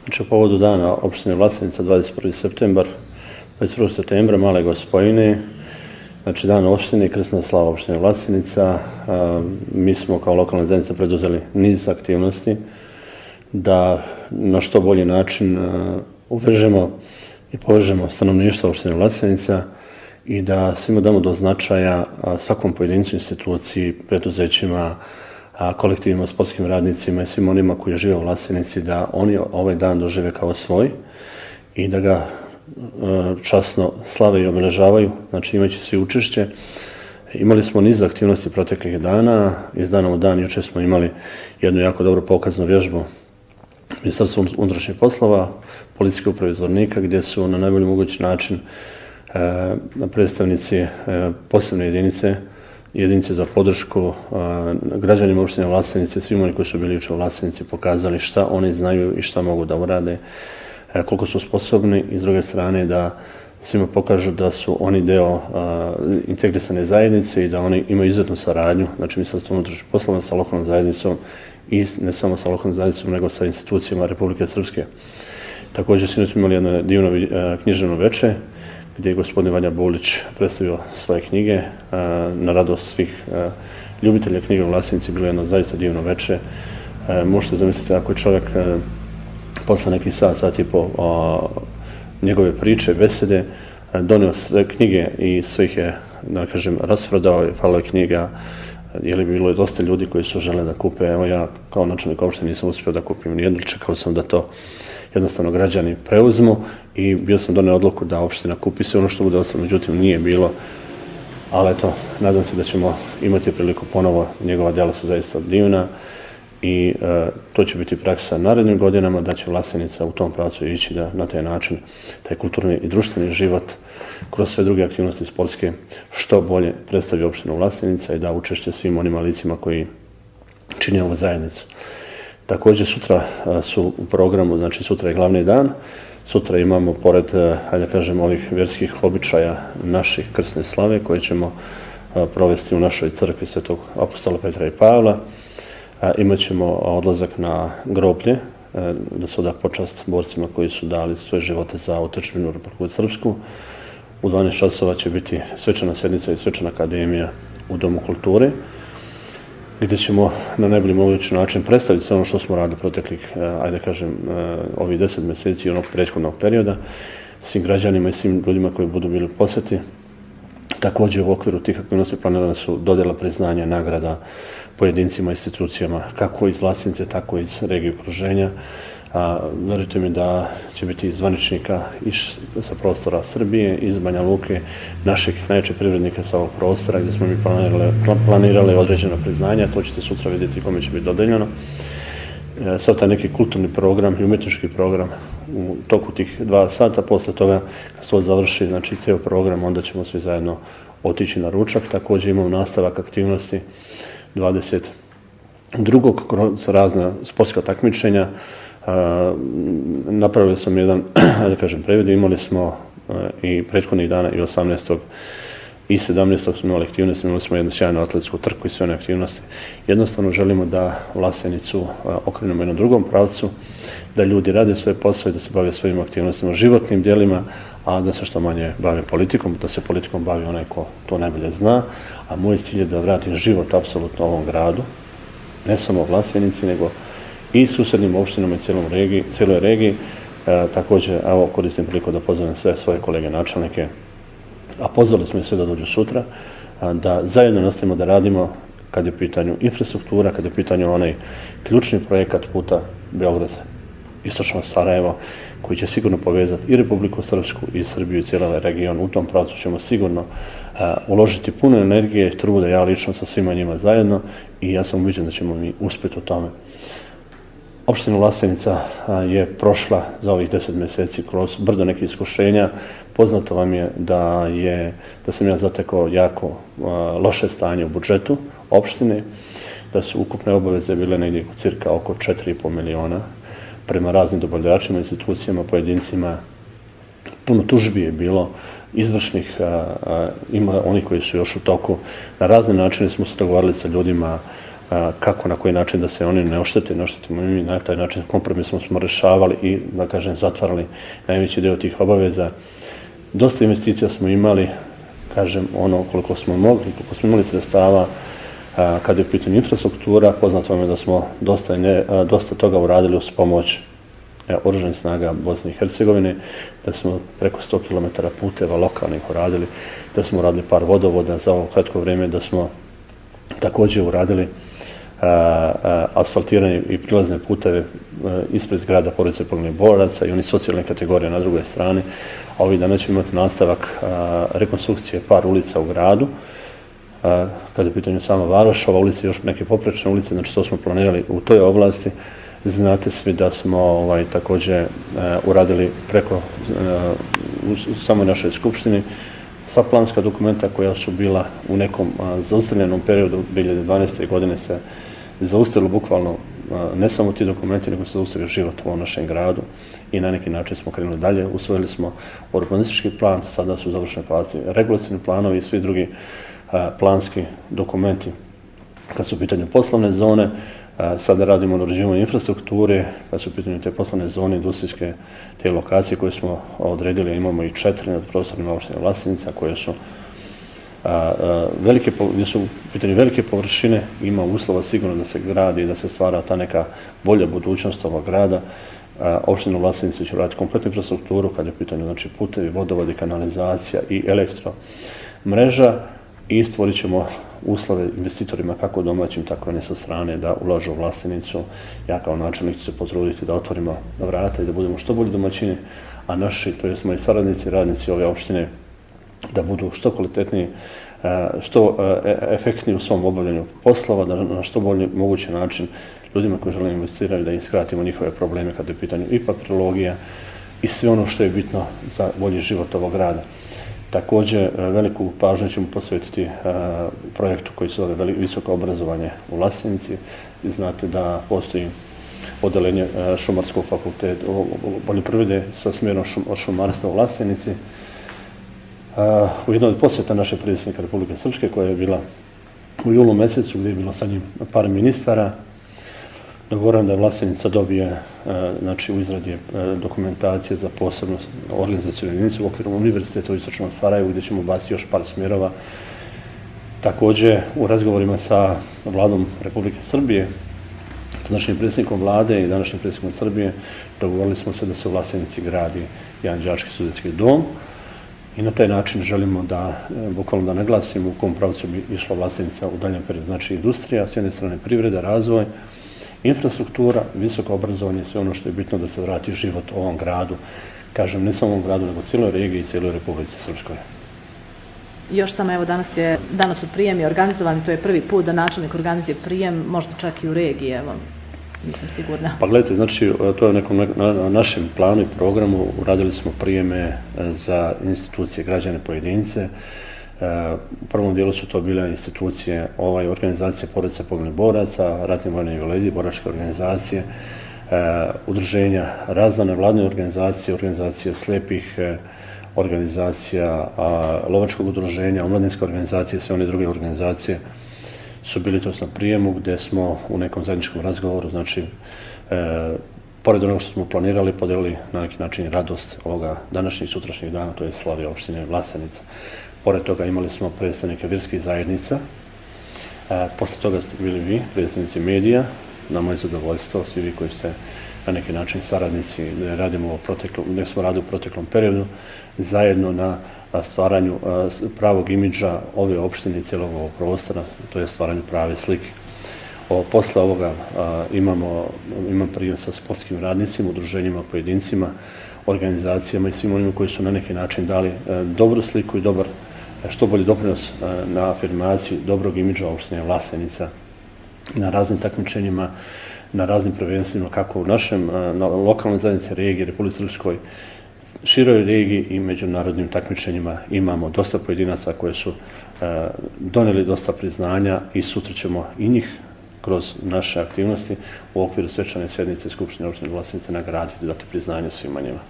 Znači, u povodu dana opštine Vlasenica 21. septembra, Male Gospojine, znači dan opštine i krsna slava opštine Vlasenica, mi smo kao lokalna zajednica preduzeli niz aktivnosti da na što bolji način uvežemo i povežemo stanovništvo opštine Vlasenica i da svima damo do značaja svakom pojedincu, instituciji, preduzećima, kolektivima, sportskim radnicima i svim onima koji žive u Vlasenici, da oni ovaj dan dožive kao svoj i da ga časno slave i obeležavaju, znači imajući svi učešće. Imali smo niz aktivnosti proteklih dana, iz dana u dan. Juče smo imali jednu jako dobro pokaznu vježbu Ministarstva unutrašnjih poslova, Policijske uprave Zvornika, gdje su na najbolji mogući način predstavnici posebne jedinice za podršku građanima opštine Vlasenice, svim oni koji su bili juče u Vlasenici, pokazali šta oni znaju i šta mogu da urade, koliko su sposobni, i s druge strane da svima pokažu da su oni deo integrisane zajednice i da oni imaju izuzetnu saradnju, znači Ministarstvo unutrašnjih poslova sa lokalnom zajednicom i ne samo sa lokalnom zajednicom, nego sa institucijama Republike Srpske. Također, sinoć smo imali jedno divno književno veče, gdje je gospodin Vanja Bulić predstavio svoje knjige na radost svih ljubitelja knjiga u Vlasenici. Bilo je jedno zaista divno veče. Možete zamisliti ako je čovjek posle nekih sat i po njegove priče, besede, donio sve knjige i sve ih je, da kažem, rasprodao, falilo je knjiga, jer bi bilo dosta ljudi koji su žele da kupe. Evo ja kao načelnik opštine nisam uspio da kupim nijednu, čekao sam da to jednostavno građani preuzmu i bio sam donio odluku da opština kupi sve ono što bude ostalo, međutim nije bilo, ali eto, nadam se da ćemo imati priliku ponovo. Njegova djela su zaista divna i to će biti praksa narednim godinama, da će Vlasenica u tom pravcu ići, da na taj način taj kulturni i društveni život kroz sve druge aktivnosti sportske što bolje predstavi opštinu Vlasenica i da učešće svim onim licima koji čine ovu zajednicu. Također sutra su u programu, znači sutra je glavni dan. Sutra imamo, pored, hajde da kažem, ovih vjerskih običaja naših krsne slave koje ćemo provesti u našoj crkvi Svetog apostola Petra i Pavla, imat ćemo odlazak na groblje, da se oda počast borcima koji su dali svoje živote za otadžbinu Republiku Srpsku. U 12 časova će biti svečana sjednica i svečana akademija u Domu kulture, gdje ćemo na najbolji mogući način predstaviti sve ono što smo radili proteklih, ajde kažem, ovih 10 mjeseci i onog prethodnog perioda svim građanima i svim ljudima koji budu bili u posjeti. Također u okviru tih aktivnosti planirane su dodjela priznanja, nagrada pojedincima i institucijama, kako iz Vlasenice, tako i iz regije okruženja. Verujte mi da će biti zvaničnika sa prostora Srbije, iz Banja Luke, naših najjačih privrednika sa ovog prostora, gdje smo mi planirali određena priznanja. To ćete sutra vidjeti kome će biti dodeljeno. Sad taj neki kulturni program i umjetnički program u toku tih 2 sata, posle toga kad se to završi, znači cijel program, onda ćemo svi zajedno otići na ručak. Također imamo nastavak aktivnosti 22. kroz razna sportska takmičenja. Napravili sam jedan, da kažem, previd. Imali smo i prethodnih dana i 18. i 17. smo imali aktivnosti, imali smo jednu sjajnu atletsku trku i sve one aktivnosti. Jednostavno želimo da Vlasenicu okrenemo jednom drugom pravcu, da ljudi rade svoje posao i da se bave svojim aktivnostima, životnim djelima, a da se što manje bave politikom, da se politikom bavi onaj ko to najbolje zna. A moj cilj je da vratim život apsolutno ovom gradu, ne samo Vlasenici, nego i susednim opštinama i cijeloj regiji. Također, evo, koristim priliku da pozovem sve svoje kolege načelnike, a pozvali smo i sve da dođu sutra, da zajedno nastavimo da radimo kad je u pitanju infrastruktura, kad je u pitanju onaj ključni projekat puta Beograd-Istočno Sarajevo, koji će sigurno povezati i Republiku Srpsku i Srbiju i cijeli region. U tom pravcu ćemo sigurno uložiti puno energije i truda, ja lično sa svima njima zajedno, i ja sam ubeđen da ćemo mi uspjeti u tome. Opština Vlasenica je prošla za ovih 10 mjeseci kroz brdo nekih iskušenja. Poznato vam je da sam ja zatekao jako loše stanje u budžetu opštine, da su ukupne obaveze bile negdje cirka oko 4,5 miliona prema raznim dobavljačima, institucijama, pojedincima. Puno tužbi je bilo izvršnih, ima oni koji su još u toku. Na razne načine smo se dogovarali sa ljudima kako, na koji način da se oni ne oštetimo mi, na taj način kompromisno smo rješavali i, da kažem, zatvarali najveći dio tih obaveza. Dosta investicija smo imali, kažem, ono koliko smo mogli, koliko smo imali sredstava, kada je u pitanju infrastruktura. Poznato vam je da smo dosta toga uradili uz pomoć Oružanih snaga Bosne i Hercegovine, da smo preko 100 km puteva lokalnih uradili, da smo uradili par vodovoda za ovo kratko vrijeme, da smo također uradili asfaltiranje i prilazne puteve ispred zgrada porodice poginulih boraca i oni socijalne kategorije na drugoj strani. A ovih dana ćemo imati nastavak rekonstrukcije par ulica u gradu. Kada je u pitanju sama Varoš, ova ulica i još neke poprečne ulice, znači to smo planirali u toj oblasti. Znate svi da smo također uradili preko u samoj našoj skupštini sva planska dokumenta koja su bila u nekom zaustavljenom periodu 2012. godine se zaustavilo bukvalno ne samo ti dokumenti, nego se zaustavio život u ovom našem gradu i na neki način smo krenuli dalje. Usvojili smo urbanistički plan, sada su u završnoj fazi regulacioni planovi i svi drugi planski dokumenti kad su u pitanju poslovne zone. Sada radimo na uređivanju infrastrukture, kad su u pitanju te poslovne zone, industrijske, te lokacije koje smo odredili. Imamo i 4 nad prostorima opštine Vlasenica koje su gdje su u pitanju velike površine, ima uslova sigurno da se gradi i da se stvara ta neka bolja budućnost ovog grada. Opština Vlasenica će raditi kompletnu infrastrukturu kad je u pitanju, znači, putevi, vodovodi, kanalizacija i elektromreža i stvorit ćemo uslove investitorima kako domaćim, tako i ne sa strane da ulažu u Vlasenicu. Ja kao načelnik ću se potruditi da otvorimo vrata i da budemo što bolji domaćini, a naši, to jest moji saradnici, radnici ove opštine, da budu što kvalitetniji, što efektniji u svom obavljanju poslova, da na što bolji mogući način ljudima koji žele investirati da im skratimo njihove probleme kada je u pitanju i papirologija i sve ono što je bitno za bolji život ovog grada. Također, veliku pažnju ćemo posvetiti projektu koji se zove Visoko obrazovanje u Vlasenici. Znate da postoji odeljenje Šumarskog fakulteta poljoprivrede sa smjerom šumarstva u Vlasenici. U jednoj od posjeta našeg predsjednika Republike Srpske, koja je bila u julu mjesecu, gdje je bilo sa njim par ministara, dogovoreno da Vlasenica dobije, znači, u izradi dokumentacije za posebnu organizacijnu jedinicu u okviru Univerziteta u Istočnom Sarajevu, gdje ćemo baciti još par smjerova. Također, u razgovorima sa vladom Republike Srbije, današnjim predsjednikom vlade i današnjim predsjednikom Srbije, dogovorili smo se da se u Vlasenici gradi jedan đački studentski dom i na taj način želimo da, bukvalno da naglasimo u kom pravcu bi išla Vlasenica u daljem periodu. Znači, industrija, s jedne strane privreda, razvoj, infrastruktura, visoko obrazovanje, sve ono što je bitno da se vrati život ovom gradu. Kažem, ne samo ovom gradu, nego cijeloj regiji i cijeloj Republici Srpskoj. Još samo, evo, danas su prijemi organizovani, to je prvi put da načelnik organizuje prijem, možda čak i u regiji, evo, nisam sigurna. Pa gledajte, znači, to je na našem planu i programu, uradili smo prijeme za institucije, građane, pojedince. U prvom dijelu su to bile institucije, organizacije porodice poginulih boraca, ratni vojni invalidi, boračke organizacije, udruženja, razne nevladine organizacije, organizacije slijepih, organizacija lovačkog udruženja, omladinske organizacije, sve one druge organizacije su bili to na prijemu gdje smo u nekom zajedničkom razgovoru, znači, pored onoga što smo planirali, podelili na neki način radost ovoga današnjih i sutrašnjih dana, to je slavlje opštine Vlasenica. Pored toga imali smo predstavnike vjerskih zajednica, posle toga ste bili vi, predstavnici medija, na moje zadovoljstvo, svi vi koji ste na neki način saradnici, gdje smo radili u proteklom periodu, zajedno na stvaranju pravog imidža ove opštine i cijelog ovog prostora, to je stvaranju prave slike. Posle ovoga imam prijem sa sportskim radnicima, udruženjima, pojedincima, organizacijama i svim onima koji su na neki način dali dobru sliku i što bolji doprinos na afirmaciji dobrog imidža opštine Vlasenica na raznim takmičenjima, na raznim prvenstvima, kako u našem lokalnoj zajednici regije, Republike Srpskoj, široj regiji i međunarodnim takmičenjima. Imamo dosta pojedinaca koje su donijeli dosta priznanja i sutra ćemo i njih kroz naše aktivnosti u okviru svečane sjednice Skupštine opštine Vlasenica nagraditi, dati priznanje svima njima.